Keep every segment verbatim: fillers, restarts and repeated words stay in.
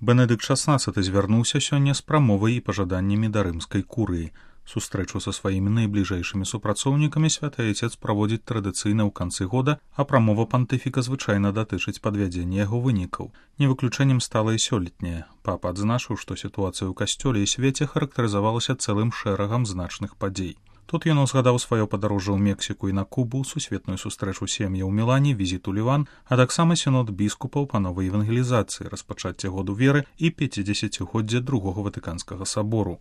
Бенедыкт шаснаццаты звярнуўся сёння з прамовай і пажаданнямі да рымскай курыі. Сустрэчу са сваімі найбліжэйшымі супрацоўнікамі святы айцец праводзіць традыцыйна ў канцы года, а прамова пантыфіка звычайна датычыць падвядзення яго вынікаў. Не выключэннем стала і сёлетняя. Папа адзначыў, што сітуацыя ў касцёле і свеце характарызавалася цэлым шэрагам значных падзей. Тут ён узгадаў сваё падарожжа ў Мексіку і на Кубу, сусветную сустрэчу сем'я ў Мілане, візіт у Ліван, а таксама сінод біскупаў па новай евангелізацыі, распачацце году веры і пяцідзесяцігоддзя другога ватыканскага сабору.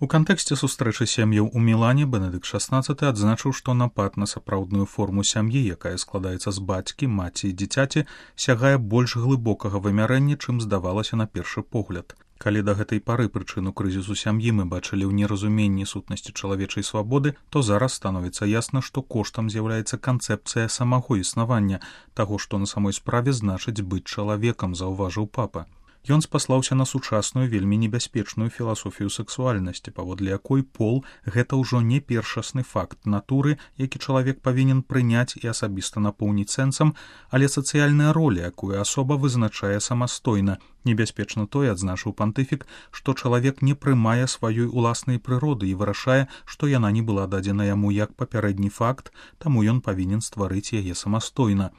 У кантэксце сустрэчы сем'яў у Мілане Бенедыкт шаснаццаты адзначыў, што напад на сапраўдную форму сям'і, якая складаецца з бацькі, маці і дзіцяці, сягае больш глыбокага вымярэння, чым здавалася на першы погляд. Калі да гэтай пары прычыну крызісу сям'і мы бачылі ў неразуменні сутнасці чалавечай свабоды, то зараз становіцца ясна, што коштам з'яўляецца канцэпцыя самого існавання, таго, што на самой справе значыць быць чалавекам, заўважыў папа. Ён спаслаўся на сучасную вельмі небяспечную філасофію сэксуальнасці, паводле якой пол – гэта ўжо не першасны факт натуры, які чалавек павінен прыняць і асабіста напоўніць сэнсам, але сацыяльная роля, якую асоба вызначае самастойна. Небяспечна тое, адзначыў пантыфік, што чалавек не прымае сваёй уласнай прыроды і вырашае, што яна не была дадзена яму як папярэдні факт, таму ён павінен стварыць яе самастойна.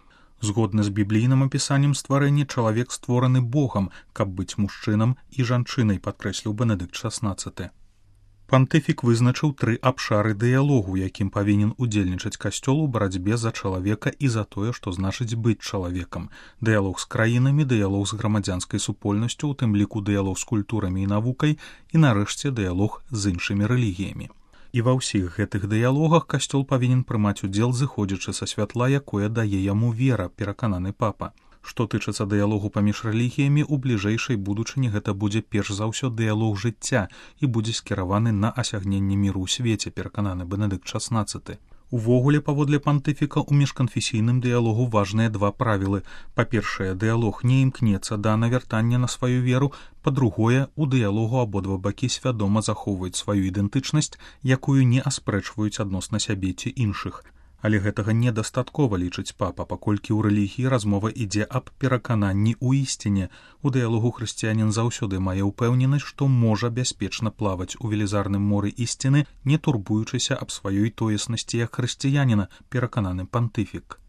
Згодна з біблійным апісаннем стварэння, чалавек створаны Богам, каб быць мужчынам і жанчынай, падкрэсліў Бенедыкт шаснаццаты. Пантыфік вызначыў тры абшары дыялогу, якім павінен удзельнічаць касцёл у барацьбе за чалавека і за тое, што значыць быць чалавекам. Дыялог з краінамі, дыялог з грамадзянскай супольнасцю, у тым ліку дыялог з культурамі і навукай і, нарэшце, дыялог з іншымі рэлігіямі. І ва ўсіх гэтых дыялогах касцёл павінен прымаць удзел, зыходзячы са святла, якое дае яму вера, перакананы папа. Што тычыцца дыялогу паміж рэлігіямі, у бліжэйшай будучыні гэта будзе перш за ўсё дыялог жыцця і будзе скіраваны на асягненне міру ў свеце, перакананы Бенедыкт шаснаццаты. Увогуле, паводле пантыфіка, у міжканфесійным дыялогу важныя два правілы. Па-першае, дыялог не імкнецца да навяртання на сваю веру, па-другое, у дыялогу абодва бакі свядома захоўваюць сваю ідэнтычнасць, якую не аспрэчваюць адносна сябе ці іншых. Але гэтага недастаткова, лічыць папа, паколькі ў рэлігіі размова ідзе аб перакананні ў ісціне. У дыялогу хрысціянін заўсёды мае ўпэўненасць, што можа бяспечна плаваць у велізарным моры ісціны, не турбуючыся аб сваёй тоеснасці як хрысціяніна, перакананы пантыфік.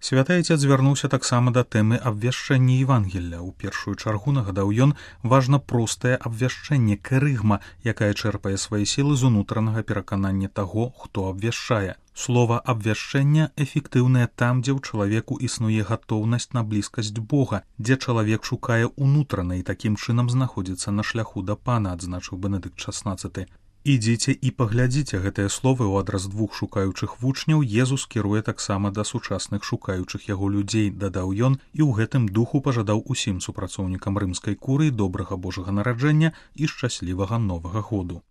Святы айцец звярнуўся таксама да тэмы абвяшчэння Евангелля. У першую чаргу, нагадаў ён, важна простае абвяшчэнне, кэрыгма, якая чэрпае свае сілы з унутранага пераканання таго, хто абвяшчае. Слова абвяшчэння эфектыўнае там, дзе ў чалавеку існуе гатоўнасць на блізкасць Бога, дзе чалавек шукае ўнутрана і такім чынам знаходзіцца на шляху да Пана, адзначыў Бенедыкт шаснаццаты. Ідзіце і паглядзіце гэтыя словы ў адрас двух шукаючых вучняў Езус кіруе таксама да сучасных шукаючых яго людзей, дадаў ён, і ў гэтым духу пажадаў усім супрацоўнікам рымскай курыі добрага Божага нараджэння і шчаслівага новага году.